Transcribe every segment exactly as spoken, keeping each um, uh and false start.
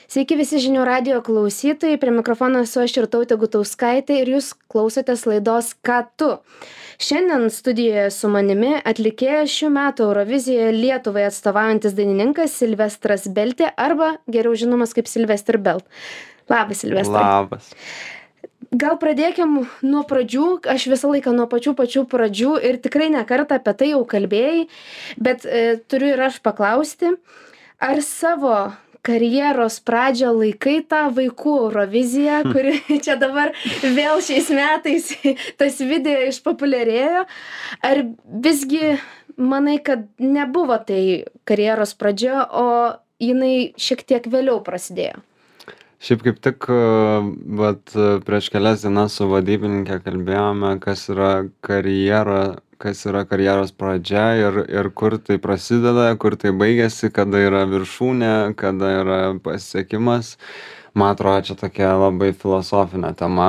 Sveiki visi žinių radijo klausytojai, prie mikrofono esu aš Irtautė Gutauskaitė ir jūs klausotės laidos Ką tu. Šiandien studijoje su manimi atlikėjas šių metų Eurovizijoje Lietuvai atstovaujantis dainininkas Silvestras Beltė arba geriau žinomas kaip Silvester Belt. Labas, Silvestrai. Labas. Gal pradėkim nuo pradžių, aš visą laiką nuo pačių pačių pradžių ir tikrai ne kartą apie tai jau kalbėjai, bet e, turiu ir aš paklausti, ar savo karjeros pradžią laikai tą vaikų Euroviziją, kuri čia dabar vėl šiais metais tas video išpopuliarėjo, ar visgi manai, kad nebuvo tai karjeros pradžia, o jinai šiek tiek vėliau prasidėjo? Šiaip kaip tik vat, prieš kelias dienas su vadybininkė kalbėjome, kas yra karjera, kas yra karjeros pradžia ir, ir kur tai prasideda, kur tai baigėsi, kada yra viršūnė, kada yra pasiekimas. Man atrodo, čia tokia labai filosofinė tema.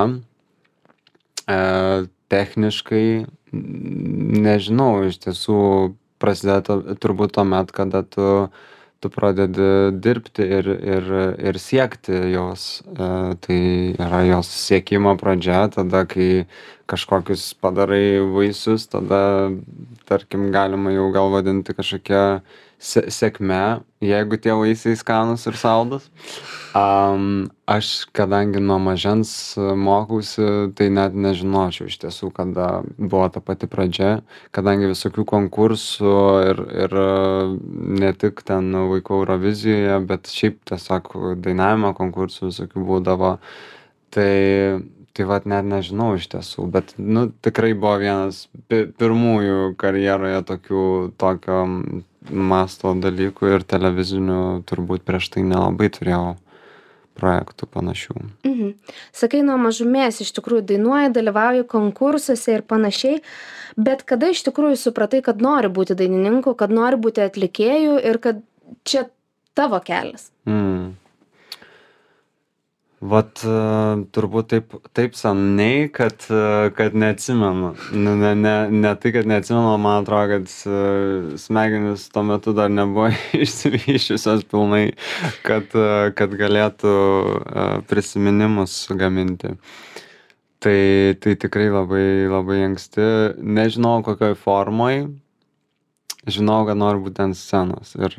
E, techniškai, nežinau, iš tiesų prasideda turbūt tuomet, kada tu tu pradedi dirbti ir, ir, ir siekti jos. E, tai yra jos siekimo pradžia, tada, kai kažkokius padarai vaisius, tada, tarkim, galima jau gal vadinti kažkokia se sėkme, jeigu tie vaisiai skanūs ir saldus. Um, aš, kadangi nuo mažens mokausi, tai net nežinočiau iš tiesų, kada buvo ta pati pradžia, kadangi visokių konkursų ir, ir ne tik ten vaikų Eurovizijoje, bet šiaip tiesiog dainavimo konkursų visokių būdavo. Tai, tai vat net nežinau iš tiesų, bet nu, tikrai buvo vienas pi pirmųjų karjeroje tokių, tokio masto dalykų ir televizinių turbūt prieš tai nelabai turėjau projektų panašių. Mhm. Sakai, nuo mažumės iš tikrųjų dainuoji, dalyvauji konkursuose ir panašiai, bet kada iš tikrųjų supratai, kad nori būti dainininku, kad nori būti atlikėju ir kad čia tavo kelias? Mm. Vat turbūt taip, taip seniai, kad, kad neatsimenu. Ne, ne, ne, ne tai, kad neatsimenu, man atrodo, kad smegenys tuo metu dar nebuvo išsivysčiusios pilnai, kad, kad galėtų prisiminimus gaminti. Tai, tai tikrai labai, labai anksti. Nežinau, kokioj formoj. Žinau, kad noriu būti ant scenos ir,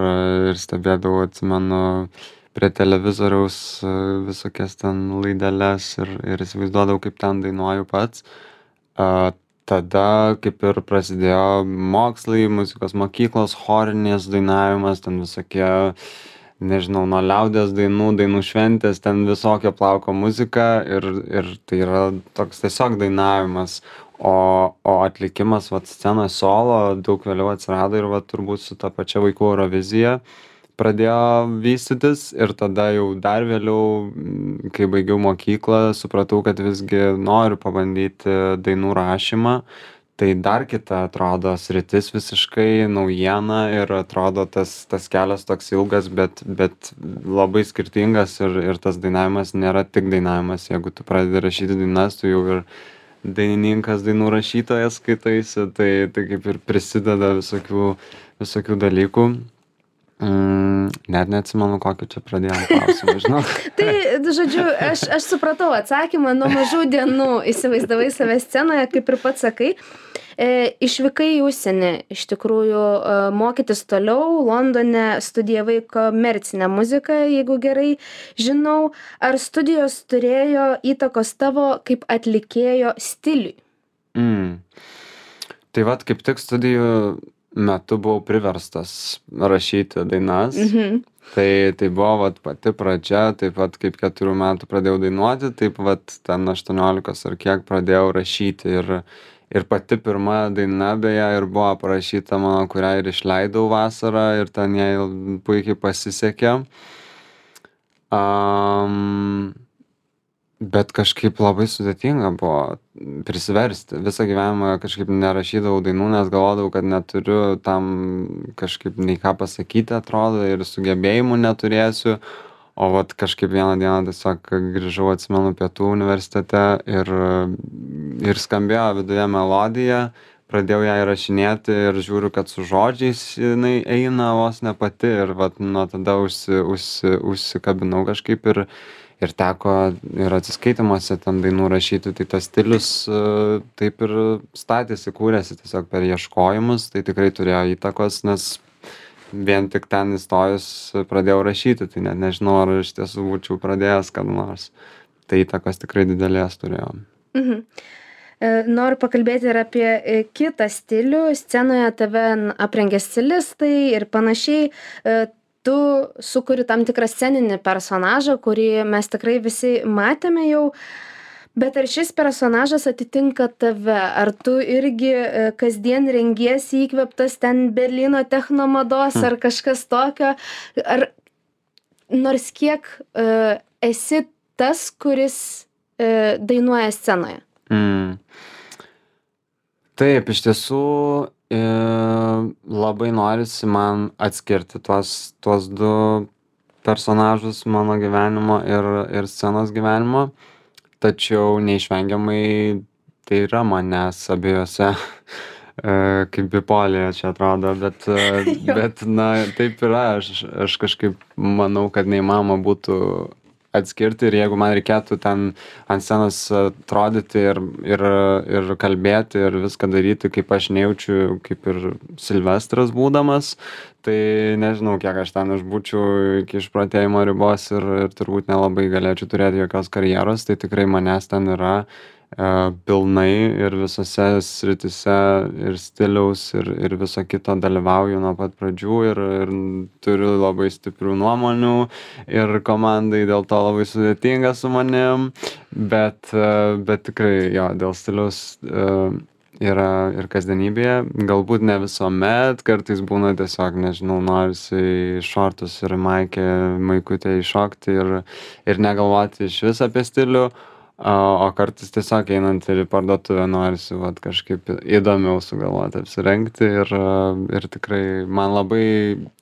ir stebėdavau, atsimenu, prie televizoriaus visokias ten laideles ir, ir įsivaizduodavau, kaip ten dainuoju pats. A, tada kaip ir prasidėjo mokslai, muzikos mokyklos, chorinės dainavimas, ten visokie, nežinau, nuo liaudies dainų, dainų šventės, ten visokio plauko muzika ir, ir tai yra toks tiesiog dainavimas. O, o atlikimas, vat, scenoje solo daug vėliau atsirado ir vat, turbūt su ta pačia vaikų Eurovizija pradėjo vystytis ir tada jau dar vėliau, kai baigiau mokyklą, supratau, kad visgi noriu pabandyti dainų rašymą. Tai dar kita atrodo sritis visiškai naujiena ir atrodo tas, tas kelias toks ilgas, bet, bet labai skirtingas ir, ir tas dainavimas nėra tik dainavimas. Jeigu tu pradedi rašyti dainas, tu jau ir dainininkas, dainų rašytojas skaitaisi, tai, tai kaip ir prisideda visokių, visokių dalykų. Mm, net neatsimenu, kokį čia pradėjom klausimą, žinau. Tai, žodžiu, aš, aš supratau atsakymą, nuo mažų dienų įsivaizdavai save scenoje, kaip ir pats sakai. E, išvykai į užsienį, iš tikrųjų, e, mokytis toliau, Londone studijavai komercinę muziką, jeigu gerai žinau. Ar studijos turėjo įtakos tavo kaip atlikėjo stiliui? Mm. Tai vat kaip tik studijų metu buvau priverstas rašyti dainas. Mhm. Tai, tai buvo vat, pati pradžia, taip pat kaip keturių metų pradėjau dainuoti, taip vat ten aštuoniolikos ar kiek pradėjau rašyti. Ir, ir pati pirma daina beje ir buvo parašyta mano, kurią ir išleidau vasarą ir ten jai puikiai pasisekė. Um, bet kažkaip labai sudėtinga buvo prisiversti. Visą gyvenimą kažkaip nerašydavau dainų, nes galvodavau, kad neturiu tam kažkaip nei ką pasakyti, atrodo, ir sugebėjimų neturėsiu. O vat kažkaip vieną dieną tiesiog grįžau, atsimenu, pietų universitete ir, ir skambėjo viduje melodija, pradėjau ją įrašinėti ir žiūriu, kad su žodžiais jinai eina vos ne pati ir vat nuo tada užsi, užsi, užsikabinau kažkaip ir, ir teko ir atsiskaitimuose ten dainų rašyti, tai tas stilius e, taip ir statėsi, kūrėsi tiesiog per ieškojimus, tai tikrai turėjo įtakos, nes vien tik ten įstojus pradėjau rašyti, tai net nežinau, ar iš tiesų būčiau pradėjęs kada nors. Tai įtakos tikrai didelės turėjo. Mhm. E, Noriu pakalbėti ir apie e, kitą stilių. Scenoje tave n- aprengia stilistai ir panašiai. E, Tu sukuri tam tikrą sceninį personažą, kurį mes tikrai visi matėme jau. Bet ar šis personažas atitinka tave? Ar tu irgi e, kasdien rengiesi įkvėptas ten Berlyno technomados ar kažkas tokio? Ar nors kiek e, esi tas, kuris e, dainuoja scenoje? Mm. Taip, iš tiesų e, labai norisi man atskirti tuos, tuos du personažus mano gyvenimo ir, ir scenos gyvenimo, tačiau neišvengiamai tai yra manęs abiejose, e, kaip bipolija čia atrodo, bet, e, Jo. bet na, taip yra, aš, aš kažkaip manau, kad neįmanoma būtų atskirti ir jeigu man reikėtų ten ant scenos atrodyti ir, ir, ir kalbėti ir viską daryti, kaip aš nejaučiu, kaip ir Silvestras būdamas, tai nežinau, kiek aš ten išbūčiau iki išprotėjimo ribos ir, ir turbūt nelabai galėčiau turėti jokios karjeros, tai tikrai manęs ten yra e, pilnai ir visose sritise ir stiliaus ir, ir viso kito dalyvauju nuo pat pradžių ir, ir turiu labai stiprių nuomonių ir komandai dėl to labai sudėtinga su manim, bet, e, bet tikrai jo, dėl stiliaus e, yra ir kasdienybėje, galbūt ne visuomet, kartais būna tiesiog, nežinau, norisi į šortus ir maikę, maikutę įšokti ir, ir negalvoti iš vis apie stilių, o, o kartais tiesiog einant ir į parduotuvę norisi vat, kažkaip įdomiau sugalvoti apsirengti ir, ir tikrai man labai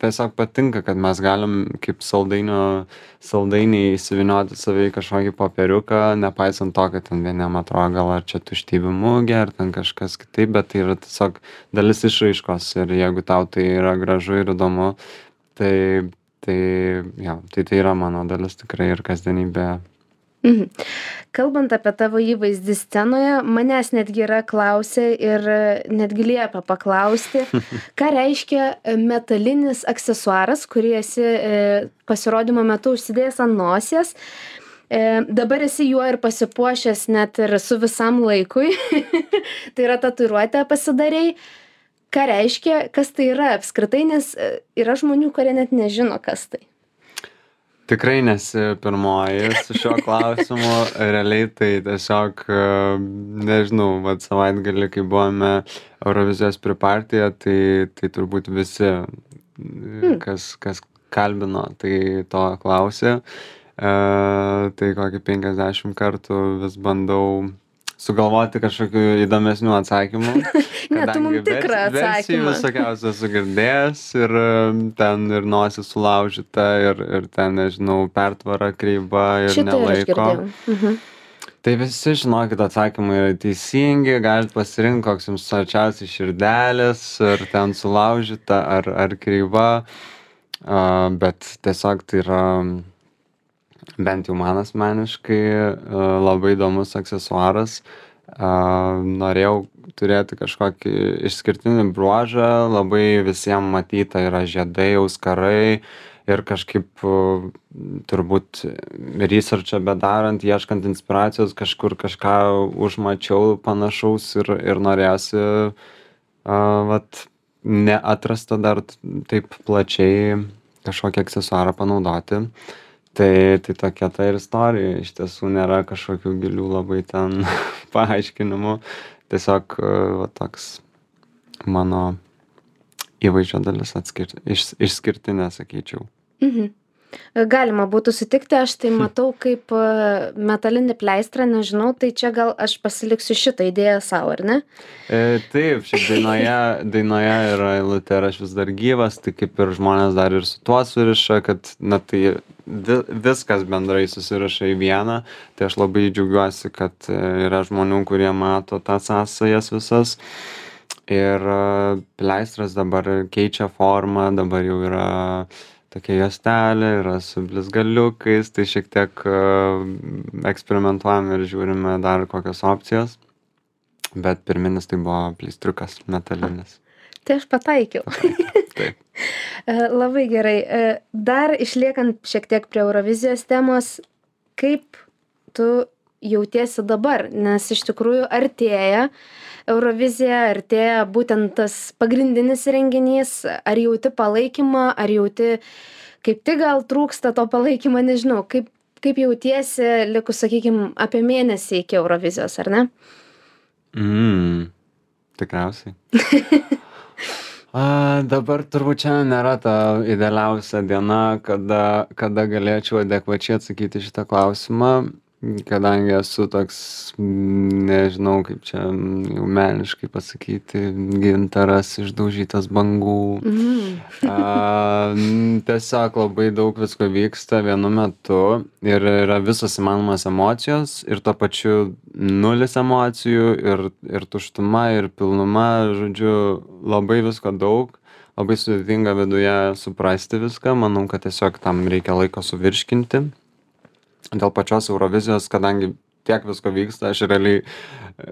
tiesiog patinka, kad mes galim kaip saldainio, saldainiai įsivinioti save į kažkokį popieriuką, nepaisant to, kad ten vieniem atrodo gal ar čia tuštybė mugė, ar ten kažkas kitaip, bet tai yra tiesiog dalis išraiškos ir jeigu tau tai yra gražu ir įdomu, tai, tai, ja, tai tai yra mano dalis tikrai ir kasdienybė. Mhm. Kalbant apie tavo įvaizdį scenoje, manęs netgi yra klausę ir e, netgi liepia paklausti, ką reiškia e, metalinis aksesuaras, kurį esi e, pasirodymo metu užsidėjęs ant nosies. E, dabar esi juo ir pasipuošęs net ir su visam laikui. Tai yra tatuiruotę pasidarei. Ką reiškia, kas tai yra apskritai, nes e, yra žmonių, kurie net nežino, kas tai. Tikrai nesi pirmoji su šiuo klausimu, realiai tai tiesiog, e, nežinau, vat savaitgalį, kai buvome Eurovizijos pripartyje, tai, tai turbūt visi, Hmm. kas, kas kalbino, tai to klausė. E, tai kokį penkiasdešimt kartų vis bandau sugalvoti kažkokių įdomesnių atsakymų. Ne, tu Kadangi mums vers- tikrą versijų atsakymą. visokiausių esu girdėjęs ir um, ten ir nosis sulaužyta ir, ir ten, nežinau, pertvara kreiva ir Šitą ir aš nelaiko. girdėjau. Mhm. Tai visi žinokit atsakymai yra teisingi, galit pasirinkti, koks jums arčiausiai širdelės, ar ten sulaužyta, ar, ar kreiva, a, bet tiesiog tai yra, bent jau man asmeniškai, a, labai įdomus aksesuaras. A, norėjau turėti kažkokį išskirtinį bruožą, labai visiems matyta yra žiedai, auskarai ir kažkaip uh, turbūt researchą bedarant, ieškant inspiracijos, kažkur kažką užmačiau panašaus ir, ir norėjosi uh, vat, neatrasta dar t- taip plačiai kažkokį aksesuarą panaudoti. Tai, tai tokia ta ir istorija, iš tiesų nėra kažkokių gilių labai ten paaiškinimų, tiesiog uh, va, toks mano įvaizdžio dalis atskir... iš, išskirtinė, sakyčiau. Mhm. Galima būtų sutikti, aš tai matau kaip e, metalinį pleistrą, nežinau, tai čia gal aš pasiliksiu šitą idėją savo, ar ne? E, taip, šiaip dainoje, dainoje yra eilutė ir aš vis dar gyvas, tai kaip ir žmonės dar ir su tuo suriša, kad na, tai vi, viskas bendrai susiraša į vieną, tai aš labai džiaugiuosi, kad e, yra žmonių, kurie mato tas sąsajas visas. Ir a, pleistras dabar keičia formą, dabar jau yra tokia juostelė, yra su blizgaliukais, tai šiek tiek a, eksperimentuojam ir žiūrime dar kokios opcijos. Bet pirminis tai buvo pleistriukas metalinis. Tai aš pataikiau. Taip. E, Labai gerai. E, Dar išliekant šiek tiek prie Eurovizijos temos, kaip tu jautiesi dabar? Nes iš tikrųjų artėja Eurovizija, artėja būtent tas pagrindinis renginys. Ar jauti palaikymą, ar jauti kaip tik gal trūksta to palaikymo, nežinau. Kaip, kaip jautiesi likus, sakykime, apie mėnesį iki Eurovizijos, ar ne? Mm, tikriausiai. A, dabar turbūt šiandien nėra ta idealiausia diena, kada, kada galėčiau adekvačiai atsakyti šitą klausimą, kadangi esu toks, mm, nežinau kaip čia mm, jau meniškai pasakyti, gintaras išdaužytas bangų. Mhm. A, mm, tiesiog labai daug visko vyksta vienu metu ir yra visos įmanomas emocijos ir tuo pačiu nulis emocijų ir, ir tuštuma ir pilnuma, žodžiu, labai visko daug, labai sudėtinga viduje suprasti viską, manau, kad tiesiog tam reikia laiko suvirškinti. Dėl pačios Eurovizijos, kadangi tiek visko vyksta, aš realiai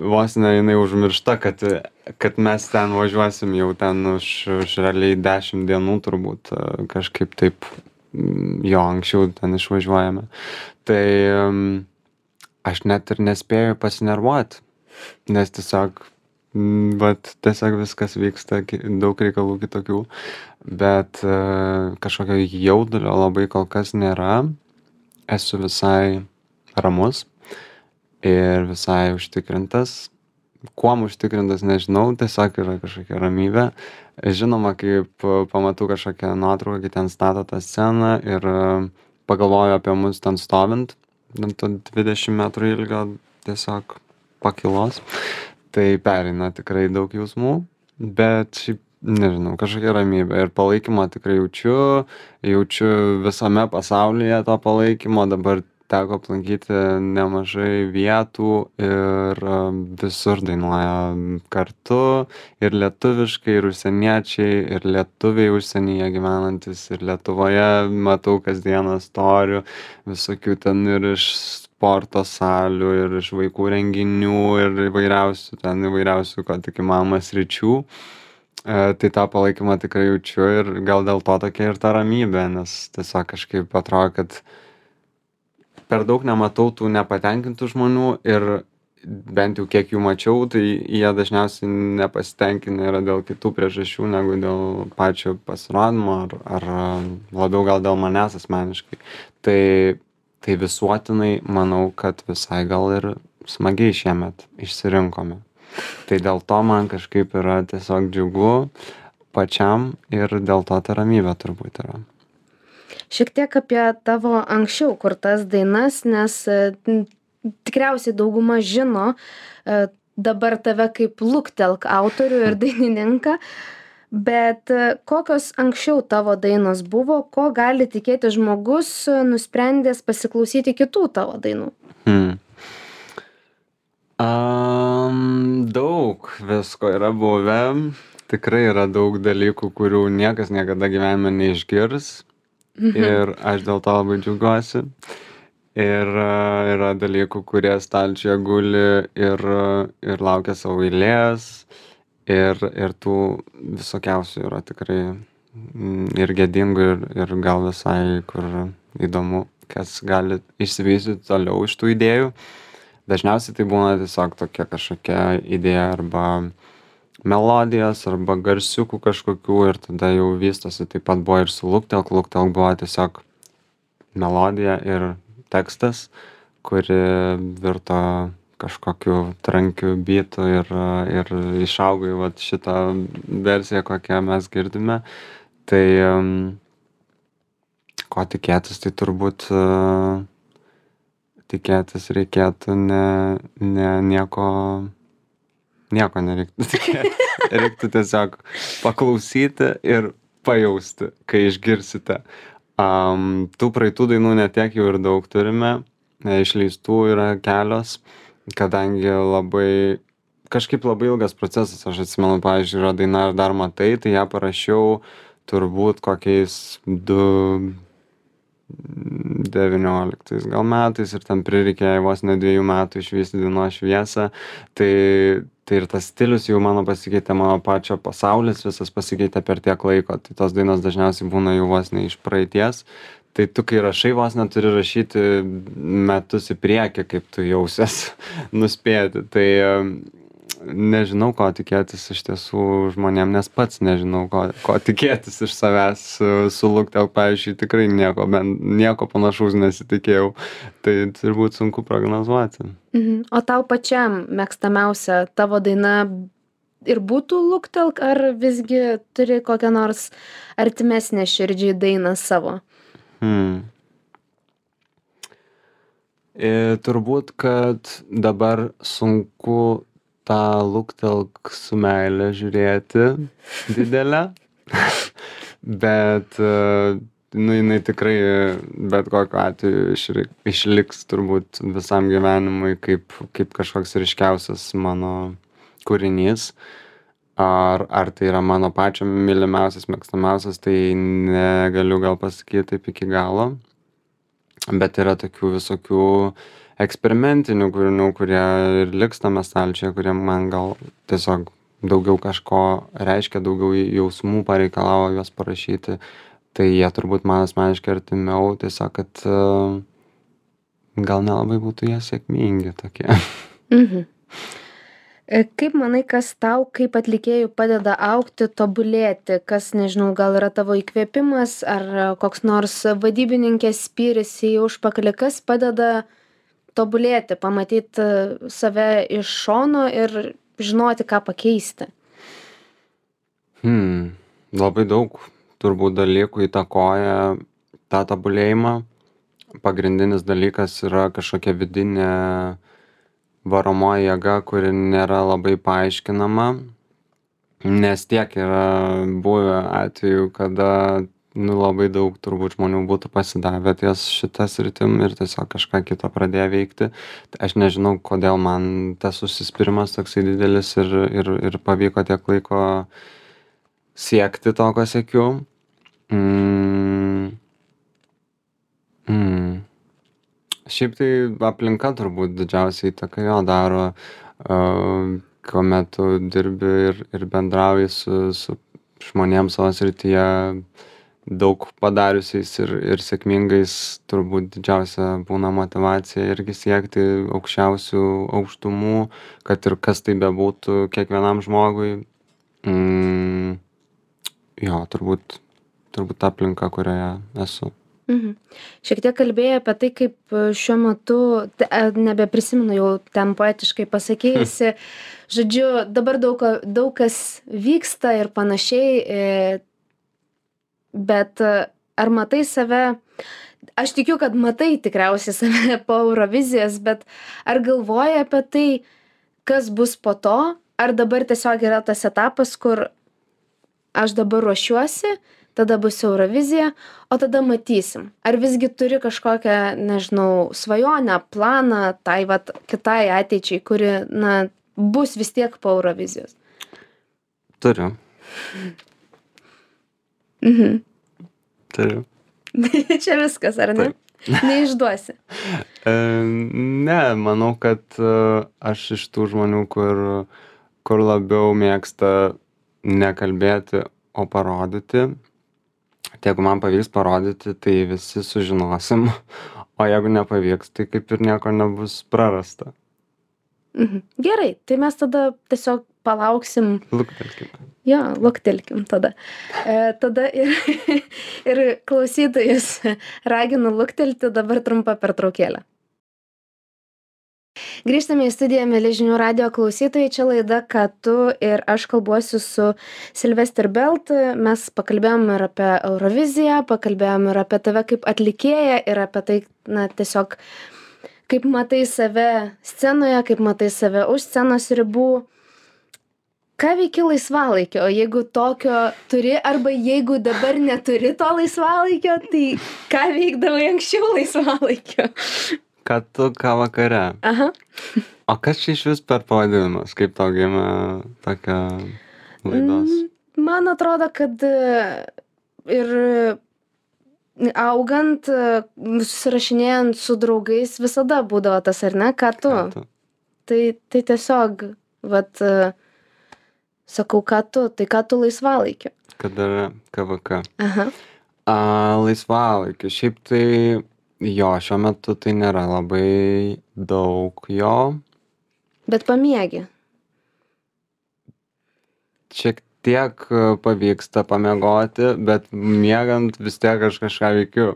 vos ne jinai užmiršta, kad, kad mes ten važiuosim jau ten už, už realiai dešimt dienų turbūt a, kažkaip taip mm, jo anksčiau ten išvažiuojame. Tai mm, aš net ir nespėju pasinervuoti, nes tiesiog, mm, vat, tiesiog viskas vyksta, ki- daug reikalų kitokių, bet a, kažkokio jaudulio labai kol kas nėra. Esu visai ramus ir visai užtikrintas. Kuom užtikrintas, nežinau, tiesiog yra kažkokia ramybė. Žinoma, kaip a, pamatau kažkokią nuotrauką, kai ten stato tą sceną ir a, pagalvoju apie mus ten stovint, ant to dvidešimt metrų ilgio tiesiog pakilos, tai pereina tikrai daug jausmų, bet šiaip nežinau, kažkokia ramybė ir palaikymo tikrai jaučiu, jaučiu visame pasaulyje to palaikymo, dabar teko aplankyti nemažai vietų ir a, visur dainuoja kartu ir lietuviškai, ir užsieniečiai, ir lietuviai užsienyje gyvenantis, ir Lietuvoje matau kasdieną storių, visokių ten ir iš sporto salių, ir iš vaikų renginių, ir įvairiausių, ten įvairiausių, ko tik įmanoma sričių. E, tai tą palaikymą tikrai jaučiu ir gal dėl to tokia ir ta ramybė, nes tiesiog kažkaip atrodo, kad per daug nematau tų nepatenkintų žmonių ir bent jau kiek jų mačiau, tai jie dažniausiai nepasitenkinę yra dėl kitų priežasčių negu dėl pačio pasirodymo ar, ar labiau gal dėl manęs asmeniškai. Tai, tai visuotinai manau, kad visai gal ir smagiai šiemet išsirinkome. Tai dėl to man kažkaip yra tiesiog džiugu pačiam ir dėl to ta ramybė turbūt yra. Šiek tiek apie tavo anksčiau kurtas dainas, nes e, n- tikriausiai dauguma žino e, dabar tave kaip Luktelk autorių ir dainininką, bet e, kokios anksčiau tavo dainos buvo, ko gali tikėti žmogus e, nusprendęs pasiklausyti kitų tavo dainų? Hmm. Um, daug visko yra buvę. Tikrai yra daug dalykų, kurių niekas niekada gyvenime neišgirs. Ir aš dėl to labai džiaugiuosi. Ir uh, yra dalykų, kurie stalčiuje guli ir, uh, ir laukia savo eilės. Ir, ir tų visokiausių yra tikrai mm, ir gėdingų, ir, ir gal visai kur įdomu, kas gali išsivystyti toliau iš tų idėjų. Dažniausiai tai būna tiesiog tokia kažkokia idėja arba melodijos arba garsiukų kažkokių ir tada jau vystosi. Taip pat buvo ir su Luktelk. Luktelk buvo tiesiog melodija ir tekstas, kuri virto kažkokiu trankiu bitu ir, ir išaugo į vat šitą versiją, kokią mes girdime. Tai um, ko tikėtis, tai turbūt uh, tikėtis reikėtų ne, ne nieko, nieko nereiktų tikėtis. Reiktų tiesiog paklausyti ir pajausti, kai išgirsite. Um, tų praeitų dainų netiek jau ir daug turime, e, išleistų yra kelios, kadangi labai kažkaip labai ilgas procesas. Aš atsimenu, pavyzdžiui, yra daina Ar dar matai, tai ją parašiau turbūt kokiais du devynioliktais gal metais ir ten prireikė vos ne dviejų metų išvysti dienos šviesą. Tai, tai ir tas stilius jau mano pasikeitė, mano pačio pasaulis visas pasikeitė per tiek laiko. Tai tos dainos dažniausiai būna jau vos ne iš praeities. Tai tu, kai rašai, vos neturi rašyti metus į priekį, kaip tu jausies nuspėti. Tai nežinau, ko tikėtis iš tiesų žmonėm, nes pats nežinau, ko, ko tikėtis iš savęs su Luktelk, pavyzdžiui, tikrai nieko, ben, nieko panašaus nesitikėjau. Tai turbūt sunku prognozuoti. Mhm. O tau pačiam mėgstamiausia tavo daina ir būtų Luktelk, ar visgi turi kokią nors artimesnę širdžiai dainą savo? Hmm. E, turbūt, kad dabar sunku tą Luktelk su meile žiūrėti didelę, bet nu, jinai tikrai bet kokiu atveju išri- išliks turbūt visam gyvenimui kaip, kaip kažkoks ryškiausias mano kūrinys. Ar, ar tai yra mano pačio mylimiausias, mėgstamiausias, tai negaliu gal pasakyti taip iki galo. Bet yra tokių visokių eksperimentinių kūrinių, kurie ir liks tame stalčiuje, kurie man gal tiesiog daugiau kažko reiškia, daugiau jausmų pareikalavo juos parašyti. Tai jie turbūt man asmeniškai artimiau, tiesiog, kad uh, gal nelabai būtų jie sėkmingi tokie. Mhm. Kaip manai, kas tau kaip atlikėjų padeda augti, tobulėti? Kas, nežinau, gal yra tavo įkvėpimas ar koks nors vadybininkės spyris į užpakalį, kas padeda tobulėti, pamatyti save iš šono ir žinoti, ką pakeisti? Hmm, labai daug turbūt dalykų įtakoja tą tobulėjimą. Pagrindinis dalykas yra kažkokia vidinė varomoji jėga, kuri nėra labai paaiškinama, nes tiek yra buvę atvejų, kada nu, labai daug turbūt žmonių būtų pasidavę ties šitą sritim ir tiesiog kažką kito pradėjo veikti. Aš nežinau, kodėl man tas užsispyrimas toksai didelis ir, ir, ir pavyko tiek laiko siekti to, ko siekiu. Mm. Mm. Šiaip tai aplinka turbūt didžiausiai įtaką jo daro, uh, kuomet tu dirbi ir, ir bendrauji su, su žmonėms savo srityje daug padariusiais ir, ir sėkmingais, turbūt didžiausia būna motyvacija irgi siekti aukščiausių aukštumų, kad ir kas tai bebūtų kiekvienam žmogui. Mm, jo, turbūt, turbūt ta aplinka, kurioje esu. Mhm. Šiek tiek kalbėjai apie tai, kaip šiuo metu, te- nebeprisimenu jau ten poetiškai pasakėjusi, žodžiu, dabar daug, daug kas vyksta ir panašiai, e, bet e, ar matai save, aš tikiu, kad matai tikriausiai save po Eurovizijos, bet ar galvoji apie tai, kas bus po to, ar dabar tiesiog yra tas etapas, kur aš dabar ruošiuosi, tada bus Eurovizija, o tada matysim. Ar visgi turi kažkokią, nežinau, svajonę, planą tai vat kitai ateičiai, kuri, na, bus vis tiek po Eurovizijos? Turiu. Mhm. Turiu. Čia viskas, ar ne? Neišduosi. E, ne, manau, kad e, aš iš tų žmonių, kur, kur labiau mėgsta nekalbėti, o parodyti. Tai jeigu man pavyks parodyti, tai visi sužinosim, o jeigu nepavyks, tai kaip ir nieko nebus prarasta. Mhm. Gerai, tai mes tada tiesiog palauksim. Luktelkim. Jo, luktelkim tada. E, tada ir, ir klausytojus raginu luktelti, dabar trumpa pertraukėlė. Grįžtame į studiją, mieli žinių radijo klausytojai, čia laida Ką tu ir aš kalbuosiu su Sylvester Belt. Mes pakalbėjom ir apie Euroviziją, pakalbėjom ir apie tave kaip atlikėją ir apie tai, na, tiesiog kaip matai save scenoje, kaip matai save už scenos ribų. Ką veiki laisvalaikio, jeigu tokio turi, arba jeigu dabar neturi to laisvalaikio, tai ką veikdavai anksčiau laisvalaikio? Ką tu, ką vakare. Aha. O kas čia iš vis per pavadinimas? Kaip tau gimė tokia laidos? Mm, Man atrodo, kad e, ir augant, e, susirašinėjant su draugais, visada būdavo tas, ar ne, ką tu. Ką tu? Tai, tai tiesiog, vat, e, sakau, ką tu, tai ką tu laisvalaikiu. Kad yra K V K. Aha. A, laisvalaikiu. Šiaip tai jo, šiuo metu tai nėra labai daug jo. Bet pamiegi. Šiek tiek e, pavyksta pamiegoti, bet miegant vis tiek aš kažką veikiu.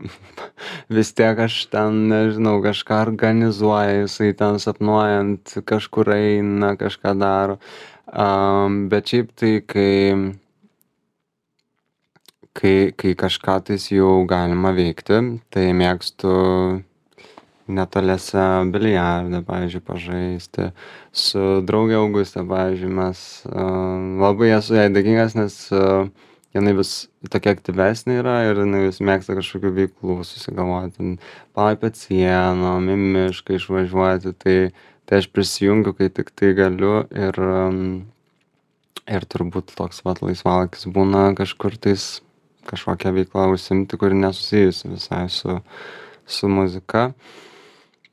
Vis tiek aš ten, nežinau, kažką organizuoju, jisai ten sapnuojant, kažkur eina, kažką daro. Um, bet šiaip tai, kai, kai, kai kažką tais jau galima veikti, tai mėgstu netoliese biliardą, pavyzdžiui, pažaisti. Su draugė Augustė, pavyzdžiui, mes uh, labai esu jai dėkingas, nes uh, jinai vis tokia aktyvesnė yra ir jinai vis mėgsta kažkokių veiklų susigalvoti. Palaipiot sienom, į mišką išvažiuoti, tai, tai aš prisijungiu, kai tik tai galiu ir, um, ir turbūt toks vat laisvalaikis būna kažkur tais kažkokią veiklą užsiimti, kuri nesusijusi visai su, su muzika.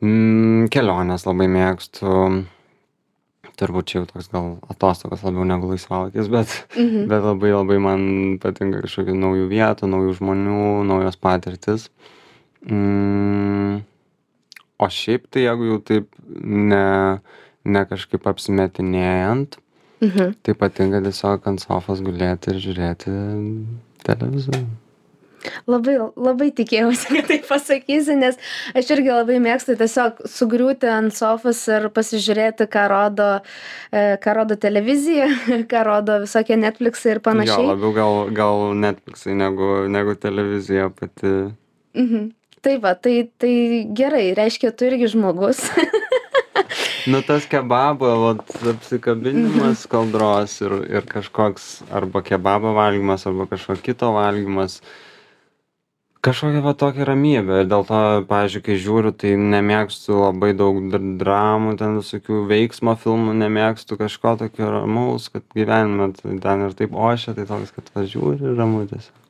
Mm, kelionės labai mėgstu. Turbūt čia jau toks gal atostogos labiau negu laisvalaikis, bet, Mhm. bet labai labai man patinka kažkokių naujų vietų, naujų žmonių, naujos patirtis. Mm, o šiaip tai jeigu jau taip ne, ne kažkaip apsimetinėjant, Mhm. tai patinka tiesiog ant sofos gulėti ir žiūrėti televizorių. Labai, labai tikėjausi, kad tai pasakysi, nes aš irgi labai mėgstu tiesiog sugriūti ant sofos ir pasižiūrėti, ką rodo, e, ką rodo televizija, ką rodo visokie Netflixai ir Jo, panašiai. labiau gal, gal Netflixai negu, negu televizija pati. Mhm. Tai va, tai, tai gerai, reiškia, tu irgi žmogus. Nu tas kebabo, vat, apsikabinimas kaldros ir, ir kažkoks arba kebabo valgymas, arba kažko kito valgymas. Kažkokia va tokia ramybė. Ir dėl to, pavyzdžiui, kai žiūriu, tai nemėgstu labai daug dr- dramų, ten visokių veiksmo filmų, nemėgstu kažko tokio ramaus, kad gyvenime tai ten ir taip ošia, tai toks, kad važiuoju ir ramu tiesiog.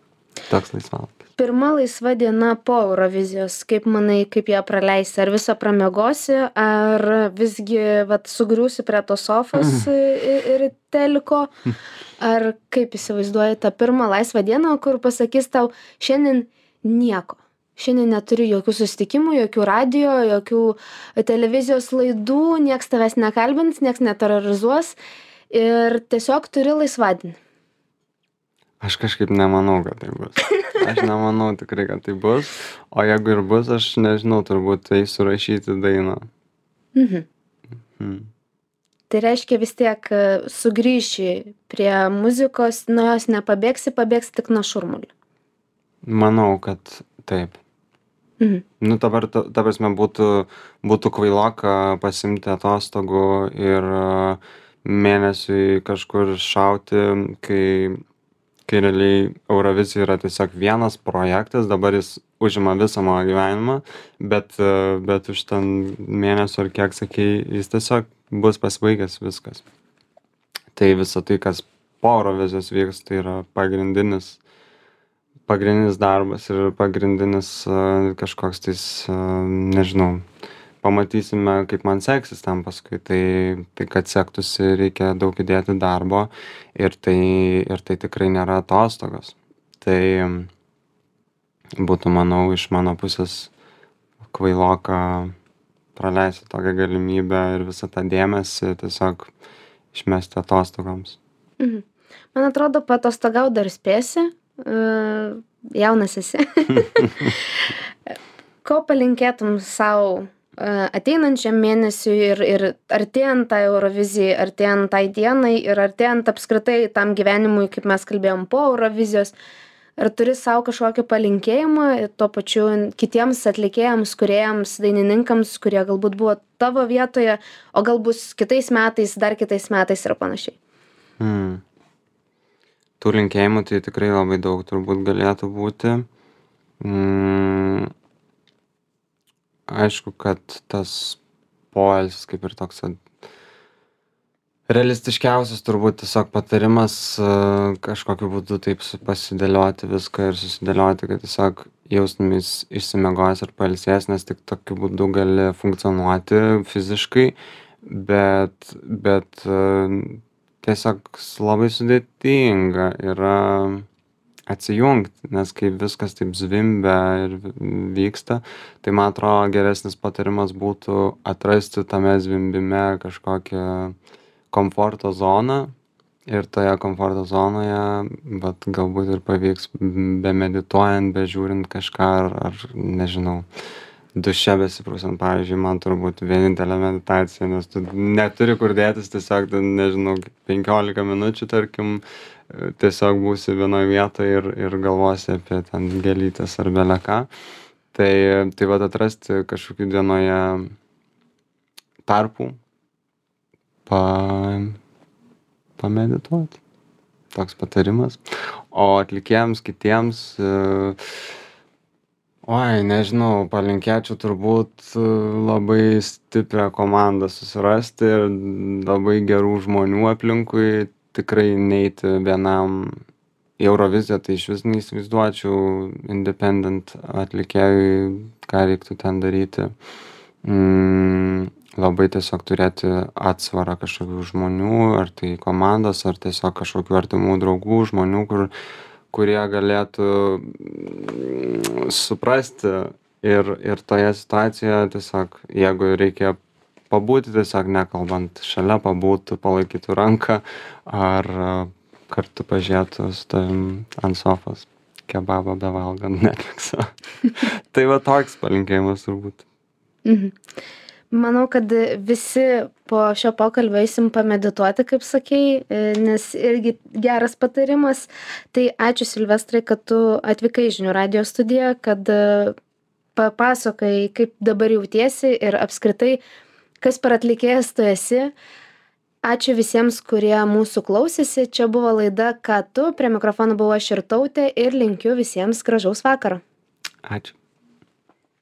Toks laisvalaikis. Pirma laisva diena po Eurovizijos, kaip manai, kaip ją praleisi? Ar visą pramiegosi, ar visgi vat, sugriūsi prie tos sofos ir, ir teliko? Ar kaip įsivaizduoji tą pirmą laisvą dieną, kur pasakys tau, šiandien nieko. Šiandien neturiu jokių susitikimų, jokių radio, jokių televizijos laidų, nieks tavęs nekalbins, nieks neterrorizuos ir tiesiog turi laisvadienį. Aš kažkaip nemanau, kad tai bus. Aš nemanau tikrai, kad tai bus. O jeigu ir bus, aš nežinau, turbūt tai surašyti dainą. Mhm. Hmm. Tai reiškia vis tiek e, sugrįši prie muzikos, nuo jos nepabėgsi, pabėgsi tik nuo šurmulio. Manau, kad taip. Mhm. Nu, dabar, ta, ta prasme, būtų, būtų kvailoka pasimti atostogų ir uh, mėnesiui kažkur šauti, kai, kai realiai Eurovizija yra tiesiog vienas projektas, dabar jis užima visą mano gyvenimą, bet, uh, bet už ten mėnesio ar kiek sakei, jis tiesiog bus pasibaigęs viskas. Tai visa tai, kas po Eurovizijos vyks, tai yra pagrindinis pagrindinis darbas ir pagrindinis uh, kažkoks tais, uh, nežinau, pamatysime, kaip man seksis ten paskui. Tai, tai kad sektųsi, reikia daug įdėti darbo ir tai, ir tai tikrai nėra atostogos. Tai būtų, manau, iš mano pusės kvailoka praleisti tokią galimybę ir visą tą dėmesį tiesiog išmesti atostogoms. Mhm. Man atrodo, patostogaut dar spėsi. Uh, jaunas esi. Ko palinkėtum savo uh, ateinančiam mėnesiui ir, ir artėjant tai Eurovizijai, artėjant tai dienai ir artėjant apskritai tam gyvenimui, kaip mes kalbėjom po Eurovizijos? Ar turi savo kažkokį palinkėjimą tuo pačiu kitiems atlikėjams, kūrėjams, dainininkams, kurie galbūt buvo tavo vietoje, o galbūt kitais metais, dar kitais metais ir panašiai? Hmm. Tų linkėjimų tai tikrai labai daug turbūt galėtų būti. Mm. aišku, kad tas poilsis kaip ir toks realistiškiausias turbūt tiesiog patarimas kažkokiu būdu taip pasidėlioti viską ir susidėlioti, kad tiesiog jaustumės išsimiegojęs ir pailsėjęs, nes tik tokiu būdu gali funkcionuoti fiziškai, bet, bet tiesiog labai sudėtinga yra atsijungti, nes kai viskas taip zvimbia ir vyksta, tai man atrodo geresnis patarimas būtų atrasti tame zvimbime kažkokią komforto zoną ir toje komforto zonoje, vat galbūt ir pavyks be medituojant, be žiūrint kažką ar, ar nežinau, duše besiprausiant, pavyzdžiui, man turbūt vienintelė meditacija, nes tu neturi kur dėtis, tiesiog, nežinau, penkiolika minučių, tarkim, tiesiog būsi vienoje vietoje ir, ir galvosi apie ten gėlytes ar beleką. Tai, tai vat atrasti kažkokių dienoje tarpų, pa, pamedituoti. Toks patarimas. O atlikėjams kitiems, oi, nežinau, palinkėčiau turbūt labai stiprią komandą susirasti ir labai gerų žmonių aplinkui, tikrai neiti vienam į Euroviziją, tai iš vis neįsivaizduočiau independent atlikėjui, ką reiktų ten daryti. Mm, labai tiesiog turėti atsvarą kažkokių žmonių, ar tai komandos, ar tiesiog kažkokių artimų draugų, žmonių, kur, kurie galėtų suprasti ir, ir toje situacijoje tiesiog, jeigu reikia pabūti, tiesiog nekalbant, šalia pabūtų, palaikytų ranką, ar kartu pažiūrėtų su tavim ant sofos kebabą bevalgant Netflixą. Tai va toks palinkėjimas turbūt. Mhm. Manau, kad visi po šio pokalbio eisim pamedituoti, kaip sakei, nes irgi geras patarimas. Tai ačiū Silvestrai, kad tu atvykai į Žinių radijo studiją, kad papasakai, kaip dabar jautiesi ir apskritai, kas per atlikėjas tu esi. Ačiū visiems, kurie mūsų klausėsi. Čia buvo laida Ką tu, prie mikrofono buvo aš Irtautė ir linkiu visiems gražaus vakaro. Ačiū.